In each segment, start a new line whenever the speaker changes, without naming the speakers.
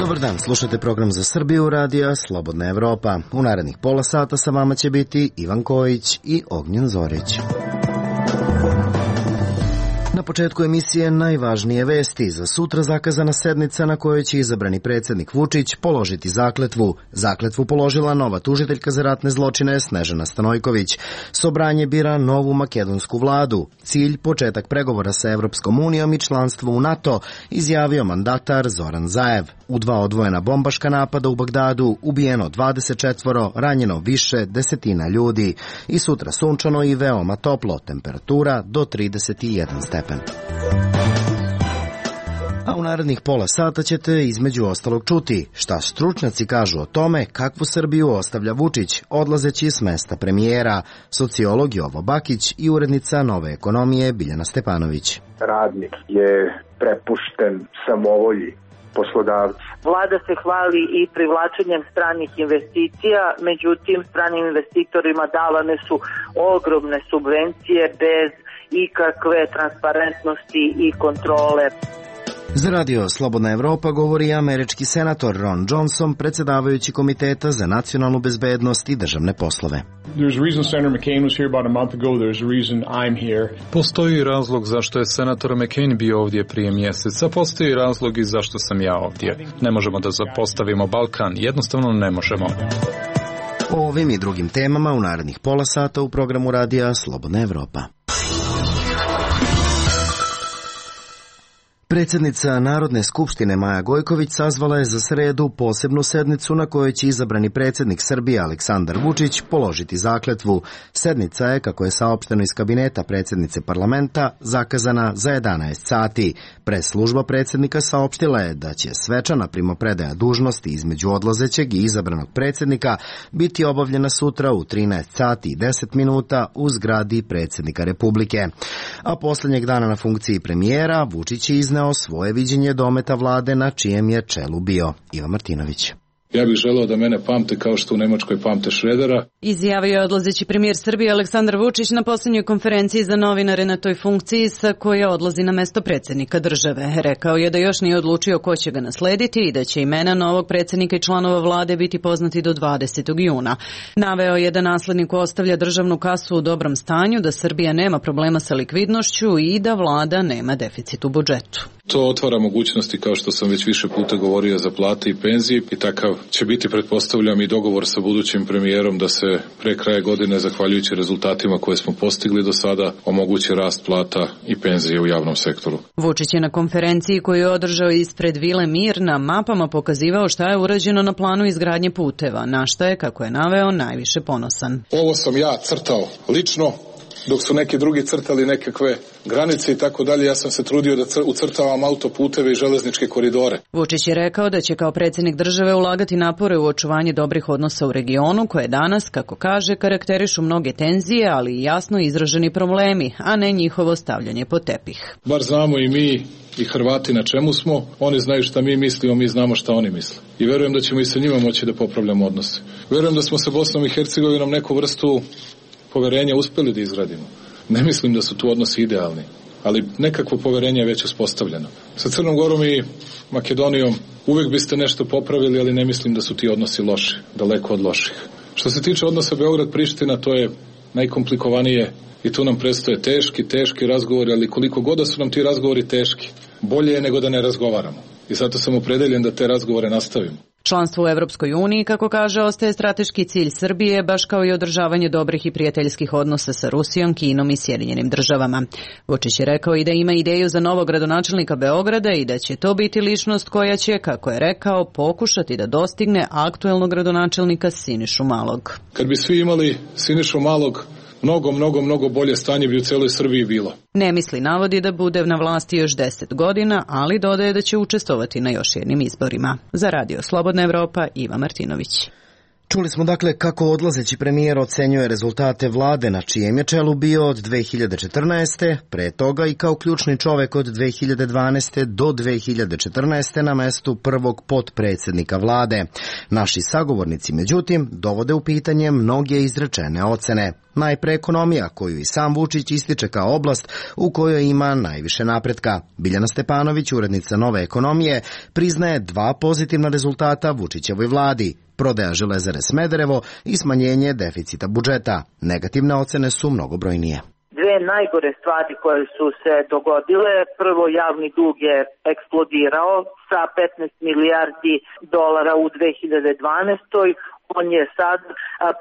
Dobar dan, slušate program za Srbiju radija Slobodna Evropa. U narednih pola sata sa vama će biti Ivan Kojić i Ognjen Zorić. Na početku emisije najvažnije vesti. Za sutra zakazana sednica na kojoj će izabrani predsjednik Vučić položiti zakletvu. Zakletvu položila nova tužiteljka za ratne zločine Snežana Stanojković. Sobranje bira novu makedonsku vladu. Cilj početak pregovora sa Evropskom unijom i članstvo u NATO, izjavio mandatar Zoran Zaev. U 2 odvojena bombaška napada u Bagdadu ubijeno 24, ranjeno više desetina ljudi. I sutra sunčano i veoma toplo, temperatura do 31 stepen. A u narednih pola sata ćete između ostalog čuti šta stručnjaci kažu o tome kakvu Srbiju ostavlja Vučić odlazeći s mesta premijera, sociolog Jovo Bakić i urednica Nove ekonomije Biljana Stepanović.
Radnik je prepušten samovolji poslodavca.
Vlada se hvali i privlačenjem stranih investicija, međutim stranim investitorima davane su ogromne subvencije bez ikakve transparentnosti i kontrole.
Za radio Slobodna Evropa govori američki senator Ron Johnson, predsjedavajući Komiteta za nacionalnu bezbednost i državne poslove.
Postoji razlog zašto je senator McCain bio ovdje prije mjeseca, postoji razlog i zašto sam ja ovdje. Ne možemo da zapostavimo Balkan, jednostavno ne možemo.
O ovim i drugim temama u narednih pola sata u programu radija Slobodna Evropa. Predsjednica Narodne skupštine Maja Gojković sazvala je za sredu posebnu sednicu na kojoj će izabrani predsjednik Srbije Aleksandar Vučić položiti zakletvu. Sednica je, kako je saopšteno iz kabineta predsjednice parlamenta, zakazana za 11 sati. Press-služba predsjednika saopštila je da će svečana primopredaja dužnosti između odlazećeg i izabranog predsjednika biti obavljena sutra u 13 sati i 10 minuta u zgradi predsjednika Republike. A posljednjeg dana na funkciji premijera Vučić je izneo svoje viđenje dometa vlade na čijem je čelu bio. Ivan Martinović.
Ja bih želeo da mene pamte kao što u Nemačkoj pamte Šredera.
Izjavio je odlazeći premijer Srbije Aleksandar Vučić na posljednjoj konferenciji za novinare na toj funkciji sa koje odlazi na mesto predsjednika države. Rekao je da još nije odlučio ko će ga naslediti i da će imena novog predsjednika i članova vlade biti poznati do 20. juna. Naveo je da nasledniku ostavlja državnu kasu u dobrom stanju, da Srbija nema problema sa likvidnošću i da vlada nema deficit u budžetu.
To otvara mogućnosti, kao što sam već više puta govorio, za plate i penzije i takav će biti, pretpostavljam, i dogovor sa budućim premijerom da se pre kraja godine, zahvaljujući rezultatima koje smo postigli do sada, omogući rast plata i penzije u javnom sektoru.
Vučić je na konferenciji koju je održao ispred Vile Mir na mapama pokazivao šta je urađeno na planu izgradnje puteva, na šta je, kako je naveo, najviše ponosan.
Ovo sam ja crtao lično, dok su neki drugi crtali nekakve granice i tako dalje, ja sam se trudio da ucrtavam autoputeve i železničke koridore.
Vučić je rekao da će kao predsjednik države ulagati napore u očuvanje dobrih odnosa u regionu, koje danas, kako kaže, karakterišu mnoge tenzije, ali i jasno izraženi problemi, a ne njihovo stavljanje pod tepih.
Bar znamo i mi i Hrvati na čemu smo, oni znaju šta mi mislimo, mi znamo šta oni misle. I verujem da ćemo i sa njima moći da popravljamo odnose. Verujem da smo sa Bosnom i Hercegovinom neku vrstu poverenja uspeli da izgradimo. Ne mislim da su tu odnosi idealni, ali nekakvo poverenje je već uspostavljeno. Sa Crnom Gorom i Makedonijom uvek biste nešto popravili, ali ne mislim da su ti odnosi loši, daleko od loših. Što se tiče odnosa Beograd-Priština, to je najkomplikovanije i tu nam predstoje teški razgovori, ali koliko god da su nam ti razgovori teški, bolje je nego da ne razgovaramo. I zato sam opredeljen da te razgovore nastavimo.
Članstvo u Evropskoj uniji, kako kaže, ostaje strateški cilj Srbije, baš kao i održavanje dobrih i prijateljskih odnosa sa Rusijom, Kinom i Sjedinjenim državama. Vučić je rekao i da ima ideju za novog gradonačelnika Beograda i da će to biti ličnost koja će, kako je rekao, pokušati da dostigne aktuelnog gradonačelnika Sinišu Malog.
Kad bi svi imali Sinišu Malog, mnogo bolje stanje bi u celoj Srbiji bilo.
Ne misli, navodi, da bude na vlasti još 10 godina, ali dodaje da će učestvovati na još jednim izborima. Za radio Slobodna Evropa, Iva Martinović.
Čuli smo dakle kako odlazeći premijer ocenjuje rezultate vlade na čijem je čelu bio od 2014. pre toga i kao ključni čovek od 2012. do 2014. na mestu prvog potpredsjednika vlade. Naši sagovornici, međutim, dovode u pitanje mnoge izrečene ocene. Najpre ekonomija, koju i sam Vučić ističe kao oblast u kojoj ima najviše napretka. Biljana Stepanović, urednica Nove ekonomije, priznaje dva pozitivna rezultata Vučićevoj vladi: prodaja Železare Smederevo i smanjenje deficita budžeta. Negativne ocene su mnogobrojnije.
Dve najgore stvari koje su se dogodile: prvo, javni dug je eksplodirao sa 15 milijardi dolara u 2012. On je sad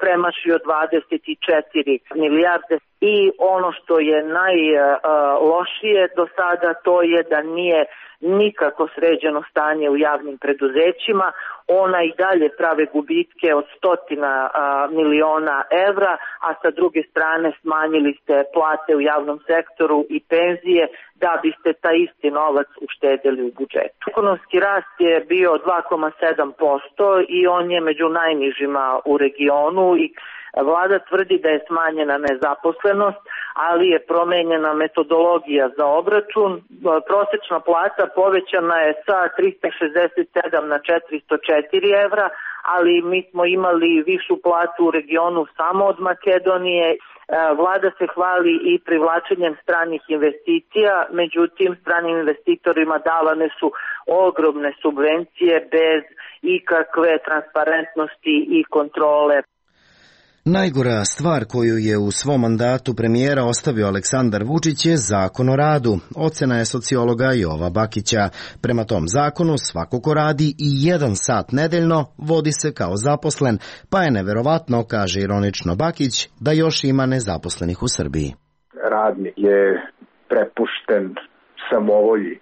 premašio 24 milijarde i ono što je najlošije do sada, to je da nije nikako sređeno stanje u javnim preduzećima. Ona i dalje prave gubitke od 100 miliona evra, a sa druge strane smanjili ste plate u javnom sektoru i penzije da biste taj isti novac uštedeli u budžetu. Ekonomski rast je bio 2,7% i on je među najnižima u regionu i vlada tvrdi da je smanjena nezaposlenost, ali je promenjena metodologija za obračun. Prosečna plata povećana je sa 367 na 404 evra, ali mi smo imali višu platu u regionu samo od Makedonije. Vlada se hvali i privlačenjem stranih investicija, međutim stranim investitorima davane su ogromne subvencije bez ikakve transparentnosti i kontrole.
Najgora stvar koju je u svom mandatu premijera ostavio Aleksandar Vučić je Zakon o radu. Ocena je sociologa Jova Bakića. Prema tom zakonu svako ko radi i 1 sat nedeljno vodi se kao zaposlen, pa je neverovatno, kaže ironično Bakić, da još ima nezaposlenih u Srbiji.
Radnik je prepušten samovolji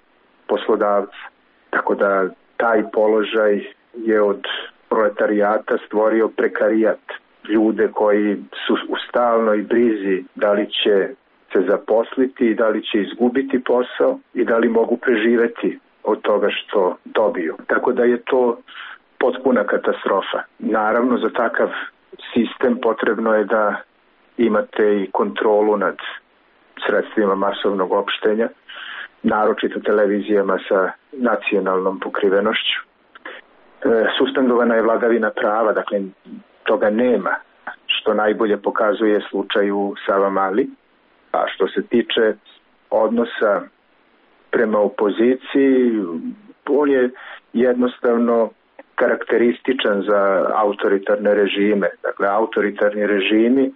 poslodavca, tako da taj položaj je od proletarijata stvorio prekarijat. Ljude koji su u stalnoj brizi da li će se zaposliti, da li će izgubiti posao i da li mogu preživeti od toga što dobiju. Tako da je to potpuna katastrofa. Naravno, za takav sistem potrebno je da imate i kontrolu nad sredstvima masovnog opštenja, naročito televizijama sa nacionalnom pokrivenošću. Suspendovana je vladavina prava, dakle toga nema, što najbolje pokazuje slučaj u Savamali. A što se tiče odnosa prema opoziciji, on je jednostavno karakterističan za autoritarne režime. Dakle, autoritarni režimi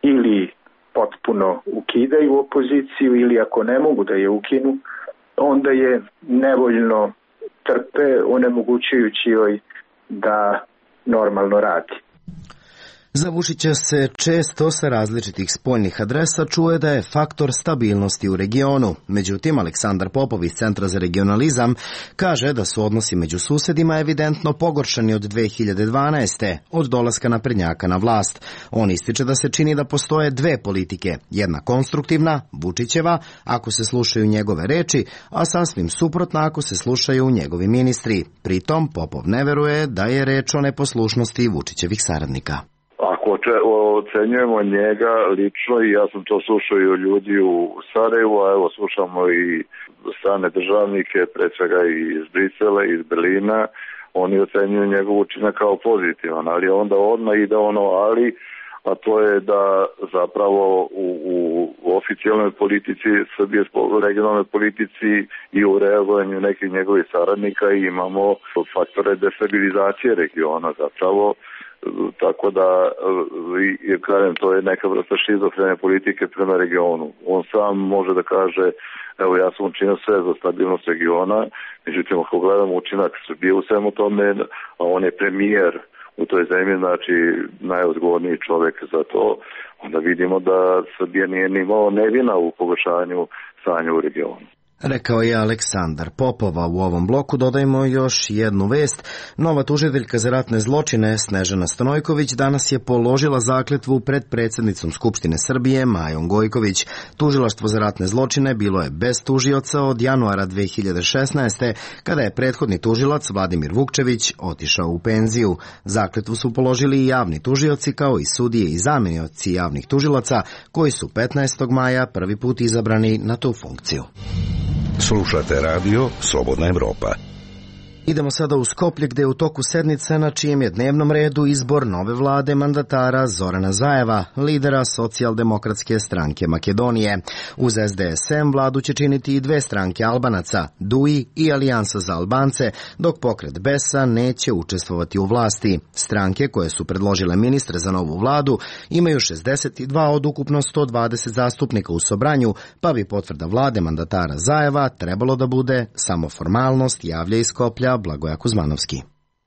ili potpuno ukidaju opoziciju ili ako ne mogu da je ukinu, onda je nevoljno trpe, onemogućujući joj da normalno radi.
Za Vučića se često sa različitih spoljnih adresa čuje da je faktor stabilnosti u regionu. Međutim, Aleksandar Popov iz Centra za regionalizam kaže da su odnosi među susedima evidentno pogoršani od 2012. od dolaska naprednjaka na vlast. On ističe da se čini da postoje dve politike, jedna konstruktivna, Vučićeva, ako se slušaju njegove reči, a sasvim suprotna ako se slušaju njegovi ministri. Pritom Popov ne veruje da je reč o neposlušnosti Vučićevih saradnika.
Ako ocenjujemo njega lično, i ja sam to slušao i od ljudi u Sarajevu, a evo slušamo i strane državnike, pre svega iz Brisela, iz Berlina, oni ocenjuju njegov učinak kao pozitivan, ali onda odmah ide ono ali, a to je da zapravo u oficijalnoj politici Srbije, regionalnoj politici i u reagovanju nekih njegovih saradnika imamo faktore destabilizacije regiona zapravo. Tako da, kažem, to je neka vrsta šizofrene politike prema regionu. On sam može da kaže, evo ja sam učinio sve za stabilnost regiona, međutim ako gledamo učinak Srbije u svemu tome, a on je premijer u toj zemlji, znači najodgovorniji čovjek za to, onda vidimo da Srbija nije ni malo nevina u pogoršanju stanja u regionu.
Rekao je Aleksandar Popova. U ovom bloku dodajmo još jednu vest. Nova tužiteljka za ratne zločine Snežana Stanojković danas je položila zakletvu pred predsjednicom Skupštine Srbije Majom Gojković. Tužilaštvo za ratne zločine bilo je bez tužioca od januara 2016. kada je prethodni tužilac Vladimir Vukčević otišao u penziju. Zakletvu su položili i javni tužioci kao i sudije i zamenioci javnih tužilaca koji su 15. maja prvi put izabrani na tu funkciju.
Slušate radio Slobodna Evropa.
Idemo sada u Skoplje gde je u toku sednice na čijem je dnevnom redu izbor nove vlade mandatara Zorana Zajeva, lidera Socijaldemokratske stranke Makedonije. Uz SDSM vladu će činiti i dve stranke Albanaca, DUI i Alijansa za Albance, dok pokret BES-a neće učestvovati u vlasti. Stranke koje su predložile ministre za novu vladu imaju 62 od ukupno 120 zastupnika u Sobranju, pa bi potvrda vlade mandatara Zajeva trebalo da bude samo formalnost, javlja iz Skoplja Blagoja Kuzmanovski.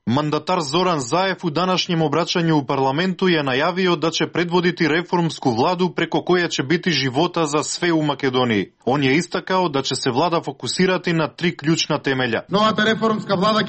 Mandatar Зоран Заев у данашњем обраќању у парламенту ја најавио да ќе предводити реформску владу преко која ќе бити живота за све у Македонија. Он ја истакао да ќе се влада фокусирати на три клучна темеља.
Нова реформска влада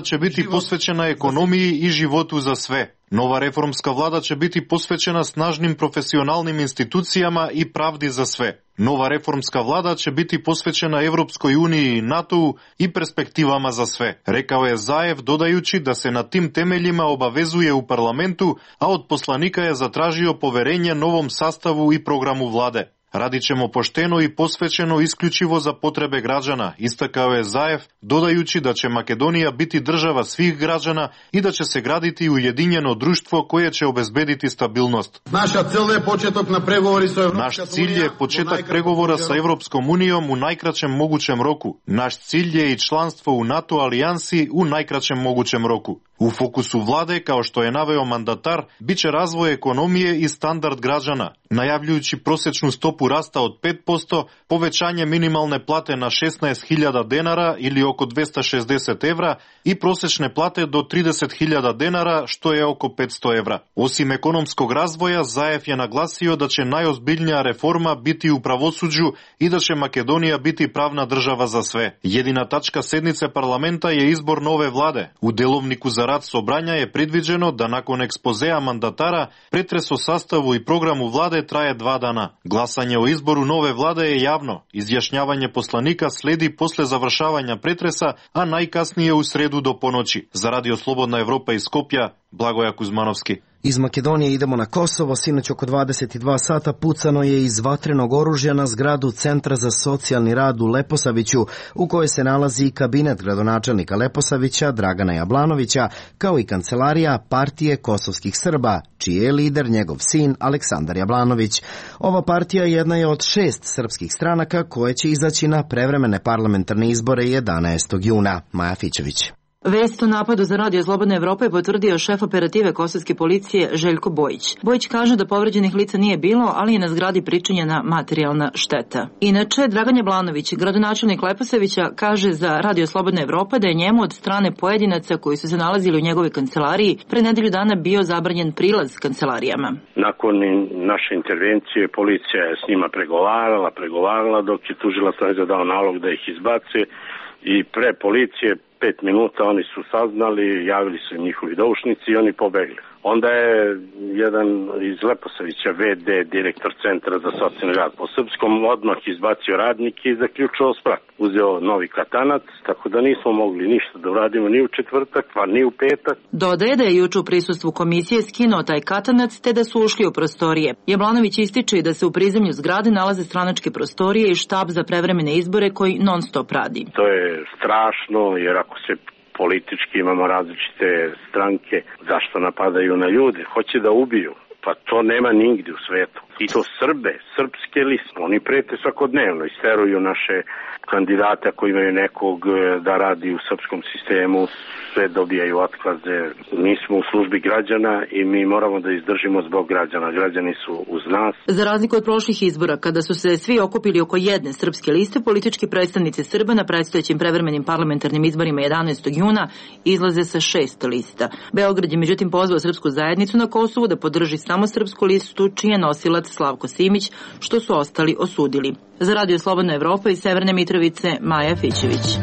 ќе биде посветена
економија и животу за све. Нова реформска влада ќе бити посвечена снажним професионалним институцијама и правди за све. Нова реформска влада ќе бити посвечена Европској унија и НАТО и перспективама за све, рекао е Заев, додајучи да се на тим темелјима обавезуе у парламенту, а од посланика ја затражио поверење новом sastavu и програму владе. Радичемо поштено и посвечено исклучиво за потребе граđana, истакао е Заев, додајучи да ќе Македонија бити држава свих граđana и да ќе се градити уединено друштво кое ќе обезбедити стабилност.
Наш цел е почеток на преговори со Европската
Наш cilj je početak pregovora sa Evropskom unijom u najkraćem mogućem roku. Naš cilj je i članstvo u NATO alijansi u najkraćem mogućem roku. U fokusu vlade, kao što je naveo mandatar, biće razvoj ekonomije i standard građana, najavljujući prosečnu stopu rasta od 5%, povećanje minimalne plate na 16.000 denara ili oko 260 evra i prosečne plate do 30.000 denara, što je oko 500 evra. Osim ekonomskog razvoja, Zajev je naglasio da će najozbiljnija reforma biti u pravosuđu i da će Makedonija biti pravna država za sve. Jedina tačka sednice parlamenta je izbor nove vlade. U delovniku za rad Собрања je predviđeno da nakon ekspozea mandatara pretres o sastavu i programu vlade traje 2 dana. Glasanje o izboru nove vlade je javno. Izjašnjavanje poslanika sledi posle završavanja pretresa, a najkasnije u sredu do ponoći. Za Radio Slobodna Evropa iz Skopja, Blagoja Kuzmanovski.
Iz Makedonije idemo na Kosovo. Sinoć oko 22 sata pucano je iz vatrenog oružja na zgradu Centra za socijalni rad u Leposaviću, u kojoj se nalazi kabinet gradonačelnika Leposavića Dragana Jablanovića, kao i kancelarija partije kosovskih Srba, čiji je lider njegov sin Aleksandar Jablanović. Ova partija jedna je od 6 srpskih stranaka koje će izaći na prevremene parlamentarne izbore 11. juna. Maja Fićević.
Vest o napadu za Radio Slobodna Evropa je potvrdio šef operative kosovske policije Željko Bojić. Bojić kaže da povređenih lica nije bilo, ali je na zgradi pričinjena materijalna šteta. Inače, Dragan Jablanović, gradonačelnik Leposavića, kaže za Radio Slobodna Evropa da je njemu od strane pojedinaca koji su se nalazili u njegove kancelariji pre nedelju dana bio zabranjen prilaz kancelarijama.
Nakon naše intervencije policija je s njima pregovarala dok je tužilac dao nalog da ih izbace i pre policije 5 minuta oni su saznali, javili su im njihovi doušnici i oni pobegli. Onda je jedan iz Leposavića, VD, direktor Centra za socijalni rad po srpskom, odmah izbacio radnike i zaključao sprat. Uzeo novi katanac, tako da nismo mogli ništa da uradimo ni u četvrtak, pa ni u petak.
Dodaje da je juče u prisustvu komisije skinuo taj katanac te da su ušli u prostorije. Jablanović ističe da se u prizemlju zgrade nalaze stranačke prostorije i štab za prevremene izbore koji non stop radi.
To je strašno, jer ako se politički imamo različite stranke, zašto napadaju na ljude? Hoće da ubiju. Pa to nema nigdje u svetu. I to Srbe, srpske liste. Oni prete svakodnevno, isteruju naše kandidate ako imaju nekog da radi u srpskom sistemu, sve dobijaju otkaze. Mi smo u službi građana i mi moramo da izdržimo zbog građana. Građani su uz nas.
Za razliku od prošlih izbora, kada su se svi okupili oko jedne srpske liste, politički predstavnici Srba na predstojećim prevremenim parlamentarnim izborima 11. juna izlaze sa 6 lista. Beograd je međutim pozvao srpsku zajednicu na Kosovu da podrži samo srpsku listu, čiji je nosilac Slavko Simić, što su ostali osudili. Za Radio Slobodna Evropa iz Severne Mitrovice, Maja Fićević.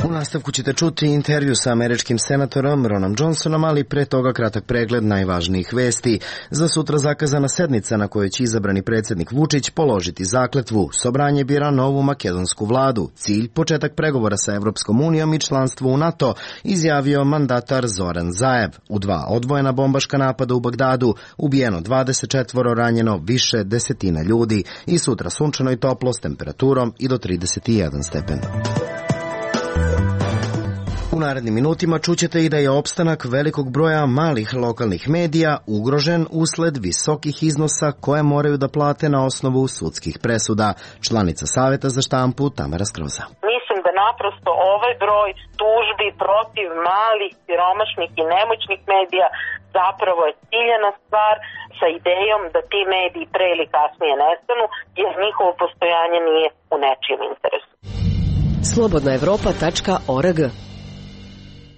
U nastavku ćete čuti intervju sa američkim senatorom Ronom Johnsonom, ali pre toga kratak pregled najvažnijih vesti. Za sutra zakazana sednica na kojoj će izabrani predsjednik Vučić položiti zakletvu. Sobranje bira novu makedonsku vladu. Cilj početak pregovora sa Evropskom unijom i članstvo u NATO, izjavio mandatar Zoran Zajev. U 2 odvojena bombaška napada u Bagdadu ubijeno 24, ranjeno više desetina ljudi i sutra sunčano i toplo s temperaturom i do 31 stepen. U narednim minutima čućete i da je opstanak velikog broja malih lokalnih medija ugrožen usled visokih iznosa koje moraju da plate na osnovu sudskih presuda. Članica Saveta za štampu Tamara Skroza.
Mislim da naprosto ovaj broj tužbi protiv malih, siromašnih i nemoćnih medija zapravo je ciljena stvar sa idejom da ti mediji pre ili kasnije nestanu, jer njihovo postojanje nije u nečijem interesu.
Slobodnaevropa.org.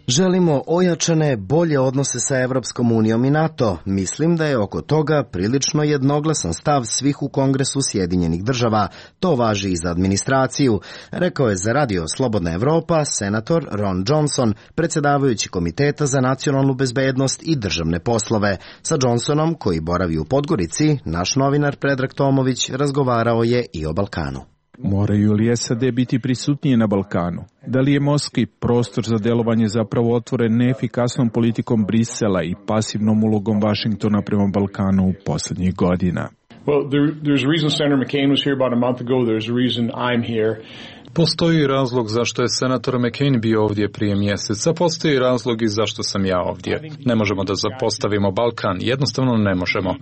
Želimo ojačane, bolje odnose sa Evropskom unijom i NATO. Mislim da je oko toga prilično jednoglasan stav svih u Kongresu Sjedinjenih država. To važi i za administraciju, rekao je za radio Slobodna Evropa senator Ron Johnson, predsjedavajući Komiteta za nacionalnu bezbednost i državne poslove. Sa Johnsonom, koji boravi u Podgorici, naš novinar Predrag Tomović razgovarao je i o Balkanu.
Moraju li SAD biti prisutnije na Balkanu? Da li je morski prostor za delovanje zapravo otvoren neefikasnom politikom Brisela i pasivnom ulogom Vašingtona prema Balkanu u posljednjih godina?
Well, there's a reason Senator McCain was here about a month ago. There's a reason I'm here.
Postoji razlog zašto je senator McCain bio ovdje prije mjeseca, postoji razlog i zašto sam ja ovdje. Ne možemo da zapostavimo Balkan, jednostavno ne možemo.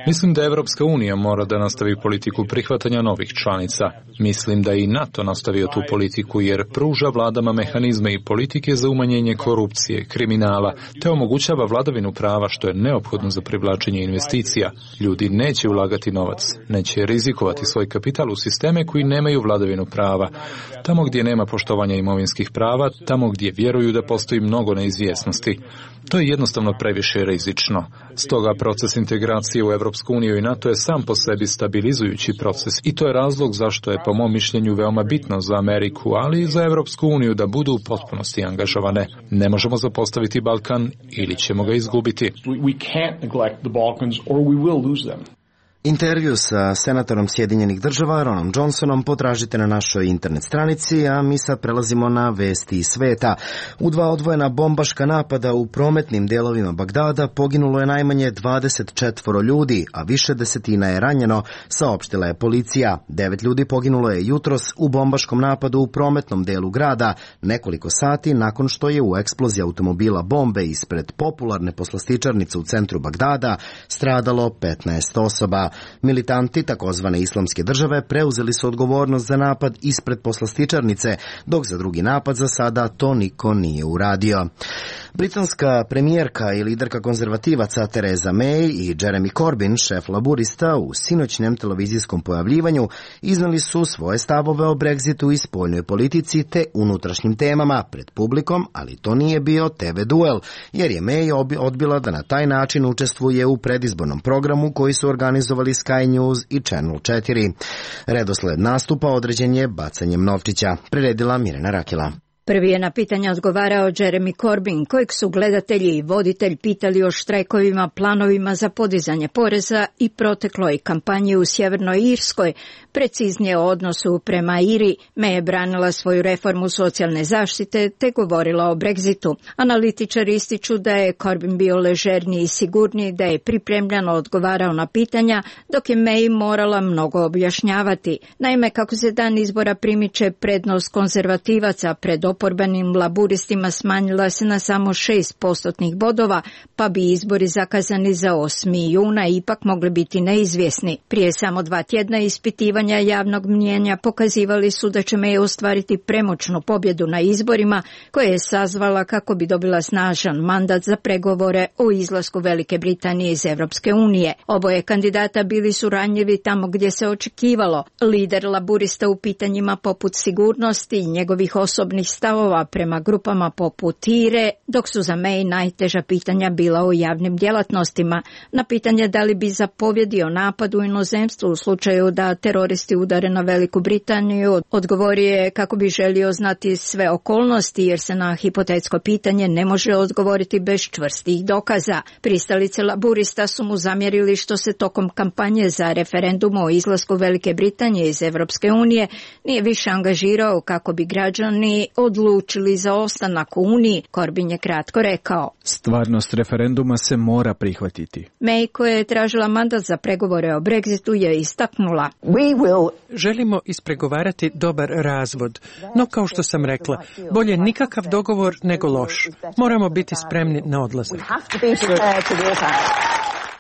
Mislim da Evropska unija mora da nastavi politiku prihvatanja novih članica. Mislim da i NATO nastavio tu politiku jer pruža vladama mehanizme i politike za umanjenje korupcije, kriminala, te omogućava vladavinu prava što je neophodno za privlačenje investicija. Ljudi neće ulagati novac, neće rizikovati svoj kapital u sisteme koji nemaju vladavinu prava. Tamo gdje nema poštovanja imovinskih prava, tamo gdje vjeruju da postoji mnogo neizvjesnosti. To je jednostavno previše rizično. Stoga proces integracije u Evropsku uniju i NATO je sam po sebi stabilizujući proces i to je razlog zašto je po mom mišljenju veoma bitno za Ameriku, ali i za Evropsku uniju da budu u potpunosti angažovane. Ne možemo zapostaviti Balkan ili ćemo ga izgubiti.
We can't neglect the Balkans or we will lose them.
Intervju sa senatorom Sjedinjenih država Ronom Johnsonom potražite na našoj internet stranici, a mi sad prelazimo na vesti iz sveta. U 2 odvojena bombaška napada u prometnim delovima Bagdada poginulo je najmanje 24 ljudi, a više desetina je ranjeno, saopštila je policija. 9 ljudi poginulo je jutros u bombaškom napadu u prometnom delu grada, nekoliko sati nakon što je u eksploziji automobila bombe ispred popularne poslastičarnice u centru Bagdada stradalo 15 osoba. Militanti takozvane islamske države preuzeli su odgovornost za napad ispred poslastičarnice, dok za drugi napad za sada to niko nije uradio. Britanska premijerka i liderka konzervativaca Theresa May i Jeremy Corbyn, šef laburista, u sinoćnjem televizijskom pojavljivanju iznali su svoje stavove o Brexitu i spoljnoj politici te unutrašnjim temama pred publikom, ali to nije bio TV duel, jer je May odbila da na taj način učestvuje u predizbornom programu koji su organizovali Sky News i Channel 4. Redosled nastupa određen je bacanjem novčića, priredila Mirjana Rakela.
Prvi je na pitanja odgovarao Jeremy Corbyn, kojeg su gledatelji i voditelj pitali o štrajkovima, planovima za podizanje poreza i protekloj kampanji u Sjevernoj Irskoj, preciznije o odnosu prema Iri. May je branila svoju reformu socijalne zaštite te govorila o Brexitu. Analitičari ističu da je Corbyn bio ležerniji i sigurniji, da je pripremljeno odgovarao na pitanja, dok je May morala mnogo objašnjavati. Naime, kako se dan izbora primiče, prednost konzervativaca pred oporbenim laburistima smanjila se na samo 6% bodova, pa bi izbori zakazani za 8. juna ipak mogli biti neizvjesni. Prije samo 2 tjedna ispitivanja javnog mnijenja pokazivali su da će May ostvariti premoćnu pobjedu na izborima koje je sazvala kako bi dobila snažan mandat za pregovore o izlasku Velike Britanije iz Evropske unije. Oboje kandidata bili su ranjivi tamo gdje se očekivalo. Lider laburista u pitanjima poput sigurnosti i njegovih osobnih stavova prema grupama poput Ire, dok su za May najteža pitanja bila o javnim djelatnostima. Na pitanje da li bi zapovjedio napad u inozemstvu u slučaju da teroristi udare na Veliku Britaniju, odgovorio je kako bi želio znati sve okolnosti jer se na hipotetsko pitanje ne može odgovoriti bez čvrstih dokaza. Pristalice laburista su mu zamjerili što se tokom kampanje za referendum o izlasku Velike Britanije iz Evropske unije nije više angažirao kako bi građani od odlučili za ostanak u Uniji, Corbyn je kratko rekao:
Stvarnost referenduma se mora prihvatiti.
May, koja je tražila mandat za pregovore o Brexitu, je istaknula:
Želimo ispregovarati dobar razvod, no kao što sam rekla, bolje nikakav dogovor nego loš. Moramo biti spremni na odlazak.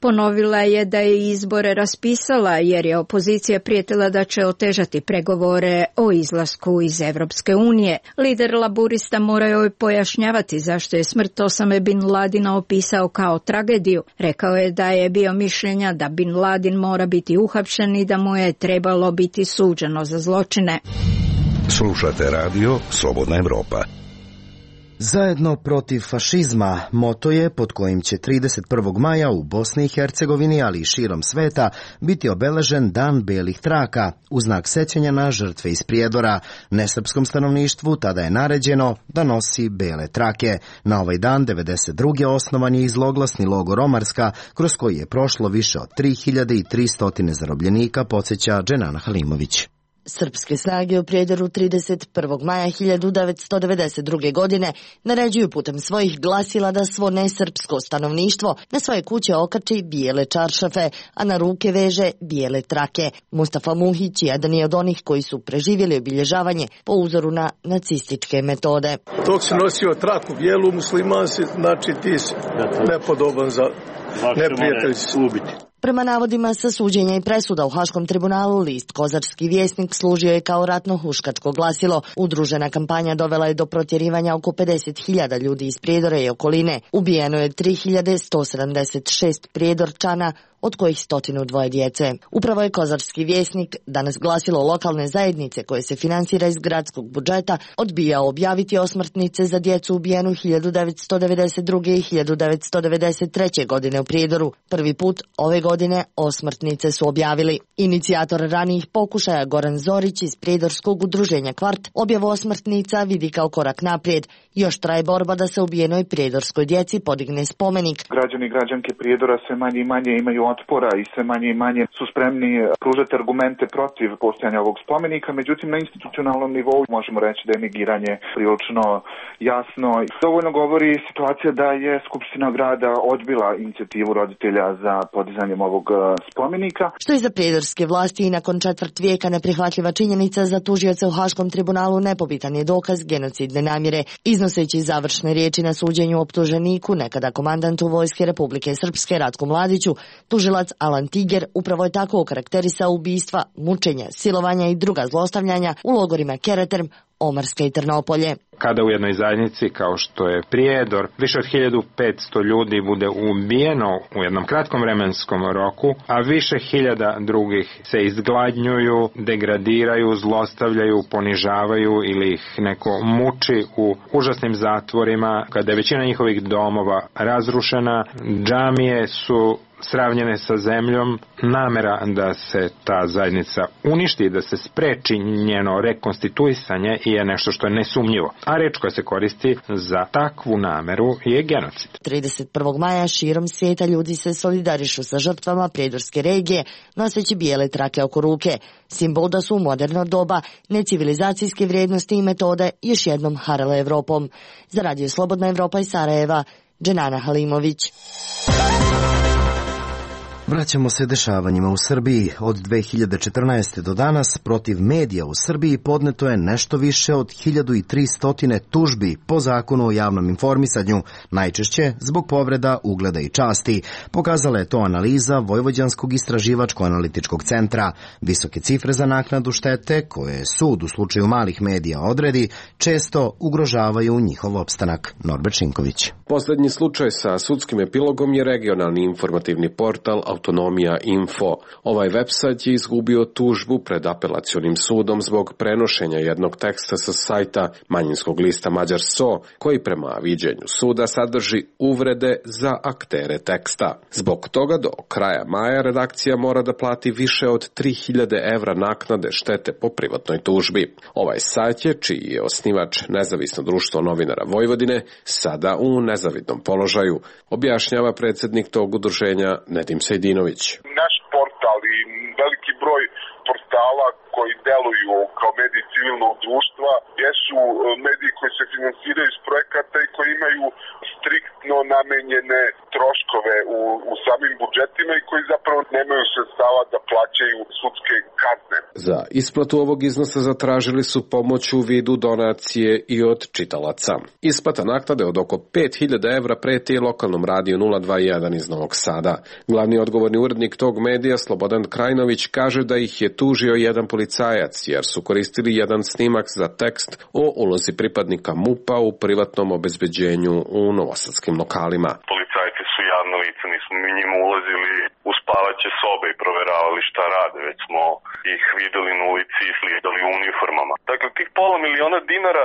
Ponovila je da je izbore raspisala jer je opozicija prijetila da će otežati pregovore o izlasku iz Evropske unije. Lider laburista mora joj pojašnjavati zašto je smrt Osame Bin Ladina opisao kao tragediju. Rekao je da je bio mišljenja da Bin Ladin mora biti uhapšen i da mu je trebalo biti suđeno za zločine.
Slušate radio Slobodna Evropa.
Zajedno protiv fašizma moto je pod kojim će 31. maja u Bosni i Hercegovini, ali i širom sveta, biti obeležen Dan belih traka, u znak sećanja na žrtve iz Prijedora. Nesrpskom stanovništvu tada je naređeno da nosi bele trake. Na ovaj dan 92. osnovan je i zloglasni logor Omarska, kroz koji je prošlo više od 3300 zarobljenika, podsjeća Dženana Halimović.
Srpske snage u Prijedoru 31. maja 1992. godine naređuju putem svojih glasila da svo nesrpsko stanovništvo na svoje kuće okači bijele čaršafe, a na ruke veže bijele trake. Mustafa Muhić jedan je od onih koji su preživjeli obilježavanje po uzoru na nacističke metode.
Dok si nosio traku bijelu, musliman si, znači ti si nepodoban za neprijatelj ubiti.
Prema navodima sa suđenja i presuda u Haškom tribunalu, list Kozarski vjesnik služio je kao ratno-huškačko glasilo. Udružena kampanja dovela je do protjerivanja oko 50.000 ljudi iz Prijedora i okoline. Ubijeno je 3176 Prijedorčana, od kojih 102 djece. Upravo je Kozarski vjesnik, danas glasilo lokalne zajednice koje se finansira iz gradskog budžeta, odbijao objaviti osmrtnice za djecu ubijenu 1992. i 1993. godine u Prijedoru. Prvi put ove godine osmrtnice su objavili. Inicijator ranijih pokušaja Goran Zorić iz Prijedorskog udruženja Kvart objavu osmrtnica vidi kao korak naprijed. Još traje borba da se ubijenoj prijedorskoj djeci podigne spomenik.
Građani i građanke Prijedora sve manje i manje imaju otpora i sve manje i manje su spremni pružati argumente protiv postojanja ovog spomenika. Međutim, na institucionalnom nivou možemo reći da je negiranje prilično jasno. Dovoljno govori situacija da je Skupština grada odbila inicijativu roditelja za podizanjem ovog spomenika.
Što je za prijedorske vlasti i nakon četvrt vijeka neprihvatljiva činjenica, za tužioce u Haškom tribunalu nepobitan je dokaz genocidne namjere. Iznoseći završne riječi na suđenju optuženiku, nekada komandantu Vojske Republike Srpske Ratku Mladiću, tužilac Alan Tiger upravo je tako okarakterisao ubistva, mučenja, silovanja i druga zlostavljanja u logorima Kereterm, Omarska i Trnopolje.
Kada u jednoj zajednici kao što je Prijedor više od 1500 ljudi bude ubijeno u jednom kratkom vremenskom roku, a više hiljada drugih se izgladnjuju, degradiraju, zlostavljaju, ponižavaju ili ih neko muči u užasnim zatvorima, kada je većina njihovih domova razrušena, džamije su sravnjene sa zemljom, namera da se ta zajednica uništi, da se spreči njeno rekonstituisanje je nešto što je nesumnjivo. A reč koja se koristi za takvu nameru je genocid.
31. maja širom svijeta ljudi se solidarišu sa žrtvama Prijedorske regije, noseći bijele trake oko ruke. Simbol da su u moderno doba necivilizacijske vrijednosti i metode još jednom harale Evropom. Za Radio Slobodna Evropa iz Sarajeva, Dženana Halimović.
Vraćamo se dešavanjima u Srbiji. Od 2014. do danas protiv medija u Srbiji podneto je nešto više od 1300 tužbi po zakonu o javnom informisanju, najčešće zbog povreda ugleda i časti. Pokazala je to analiza Vojvođanskog istraživačko-analitičkog centra. Visoke cifre za naknadu štete, koje sud u slučaju malih medija odredi, često ugrožavaju njihov opstanak. Norbert Šinković.
Poslednji slučaj sa sudskim epilogom je regionalni informativni portal Autonomija Info. Ovaj website je izgubio tužbu pred apelacionim sudom zbog prenošenja jednog teksta sa sajta manjinskog lista Mađar So, koji prema viđenju suda sadrži uvrede za aktere teksta. Zbog toga do kraja maja redakcija mora da plati više od 3000 evra naknade štete po privatnoj tužbi. Ovaj sajt je, čiji je osnivač Nezavisno društvo novinara Vojvodine, sada u nezavidnom položaju, objašnjava predsjednik tog udruženja Nedim Sejdinović.
Naš portal i veliki broj portala
koji deluju kao mediji civilnog društva jesu mediji koji se finansiraju iz projekata i koji imaju striktno namenjene troškove u samim budžetima i koji zapravo nemaju sredstava da plaćaju sudske kazne.
Za isplatu ovog iznosa zatražili su pomoć u vidu donacije i od čitalaca. Isplata naknade od oko 5.000 evra preti lokalnom radiju 021 iz Novog Sada. Glavni odgovorni urednik tog medija, Slobodan Krajnović, kaže da ih je tužio jedan policajac jer su koristili jedan snimak za tekst o ulozi pripadnika MUP-a u privatnom obezbeđenju u novosadskim lokalima.
Policajci su javno lice, nismo mi njima ulazili u spavaće sobe i proveravali šta rade, već smo ih videli na ulici i slidali u uniformama. Dakle, tih $500.000,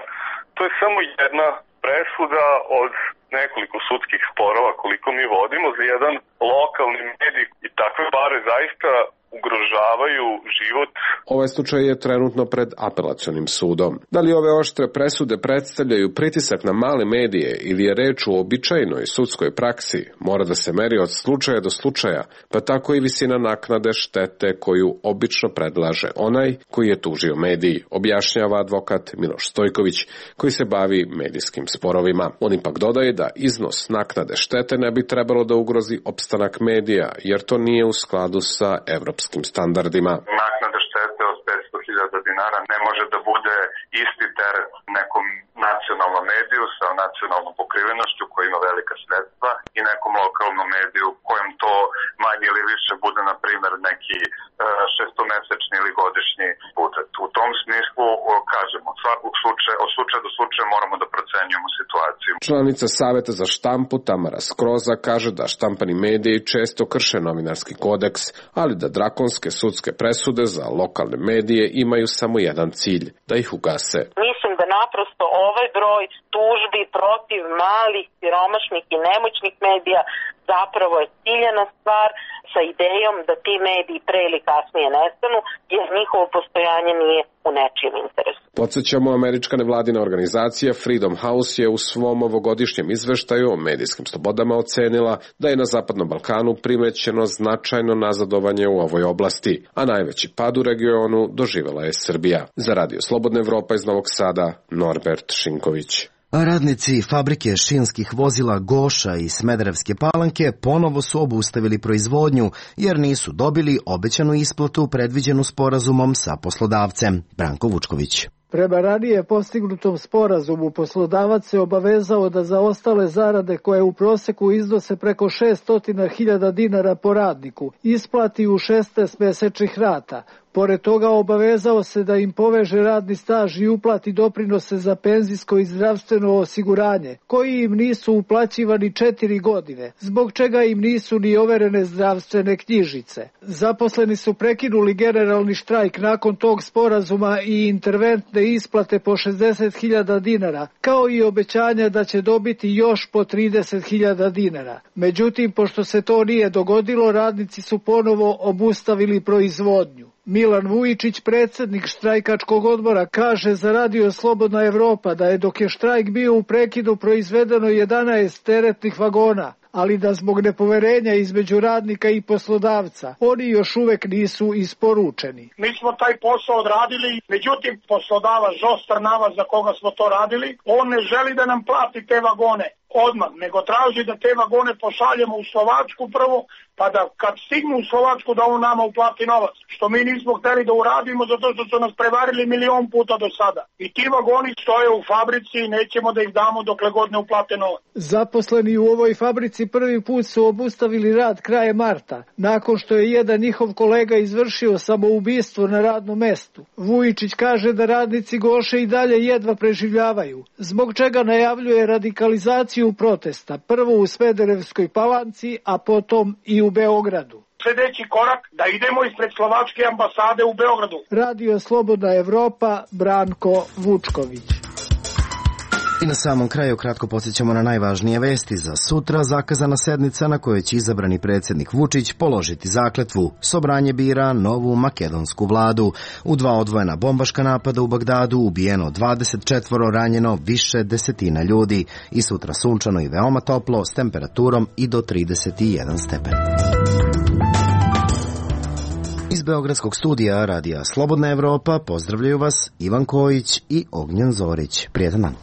to je samo jedna presuda od nekoliko sudskih sporova koliko mi vodimo za jedan lokalni medij i takve pare zaista ugrožavaju život.
Ovaj slučaj je trenutno pred apelacionim sudom. Da li ove oštre presude predstavljaju pritisak na male medije ili je reč o običajnoj sudskoj praksi, mora da se meri od slučaja do slučaja, pa tako i visina naknade štete koju obično predlaže onaj koji je tužio mediji, objašnjava advokat Miloš Stojković, koji se bavi medijskim sporovima. On ipak dodaje da iznos naknade štete ne bi trebalo da ugrozi opstanak medija, jer to nije u skladu sa evropskim standardima.
Naknada štete od $500.000 ne može da bude isti teret nekom nacionalnom mediju sa nacionalnom pokrivenošću koji ima velika sredstva i nekom lokalnom mediju kojem to manje ili više bude, na primjer, neki šestomesečni ili godišnji budžet. U tom smislu, kažemo, od slučaja do slučaja moramo da procenjujemo situaciju.
Članica Saveta za štampu Tamara Skroza kaže da štampani mediji često krše novinarski kodeks, ali da drakonske sudske presude za lokalne medije imaju samo jedan cilj, da ih ugase.
Mislim da naprosto ovaj broj tužbi protiv malih, siromašnih i nemoćnih medija zapravo je ciljena stvar sa idejom da ti mediji pre ili kasnije nestanu, jer njihovo postojanje nije u nečijem interesu.
Podsjećamo, američka nevladina organizacija Freedom House je u svom ovogodišnjem izveštaju o medijskim slobodama ocenila da je na Zapadnom Balkanu primećeno značajno nazadovanje u ovoj oblasti, a najveći pad u regionu doživela je Srbija. Za Radio Slobodna Evropa iz Novog Sada, Norbert Šinković.
Radnici fabrike šinskih vozila Goša i Smederevske Palanke ponovo su obustavili proizvodnju jer nisu dobili obećanu isplatu predviđenu sporazumom sa poslodavcem. Branko Vučković.
Prema ranije postignutom sporazumu poslodavac se obavezao da za ostale zarade koje u proseku iznose preko 600.000 dinara po radniku isplati u 16 mesečnih rata. Pored toga obavezao se da im poveže radni staž i uplati doprinose za penzijsko i zdravstveno osiguranje, koji im nisu uplaćivani 4 godine, zbog čega im nisu ni overene zdravstvene knjižice. Zaposleni su prekinuli generalni štrajk nakon tog sporazuma i interventne isplate po 60.000 dinara, kao i obećanja da će dobiti još po 30.000 dinara. Međutim, pošto se to nije dogodilo, radnici su ponovo obustavili proizvodnju. Milan Vujičić, predsjednik štrajkačkog odbora, kaže za Radio Slobodna Evropa da je dok je štrajk bio u prekidu proizvedeno 11 teretnih vagona, ali da zbog nepoverenja između radnika i poslodavca oni još uvek nisu isporučeni.
Mi smo taj posao odradili, međutim poslodavac Žostar Navas za koga smo to radili, on ne želi da nam plati te vagone odmah, nego traži da te vagone pošaljemo u Slovačku prvo, pa da kad stignu u Slovačku da on nama uplati novac, što mi nismo hteli da uradimo zato što su nas prevarili 1.000.000 puta do sada. I ti vagoni stoje u fabrici i nećemo da ih damo dokle god ne uplate novac.
Zaposleni u ovoj fabrici prvi put su obustavili rad krajem marta, nakon što je jedan njihov kolega izvršio samoubistvo na radnom mestu. Vujičić kaže da radnici Goše i dalje jedva preživljavaju, zbog čega najavljuje radikalizaciju protesta, prvo u Smederevskoj Palanci, a potom i u Beogradu.
Sljedeći korak da idemo ispred Slovačke ambasade u Beogradu.
Radio Slobodna Evropa, Branko Vučković.
I na samom kraju kratko podsjećamo na najvažnije vesti za sutra. Zakazana sednica na kojoj će izabrani predsjednik Vučić položiti zakletvu. Sobranje bira novu makedonsku vladu. U 2 odvojena bombaška napada u Bagdadu ubijeno 24, ranjeno više desetina ljudi. I sutra sunčano i veoma toplo s temperaturom i do 31 stepen. Iz Beogradskog studija radija Slobodna Evropa pozdravljaju vas Ivan Kojić i Ognjen Zorić. Prijetan dan.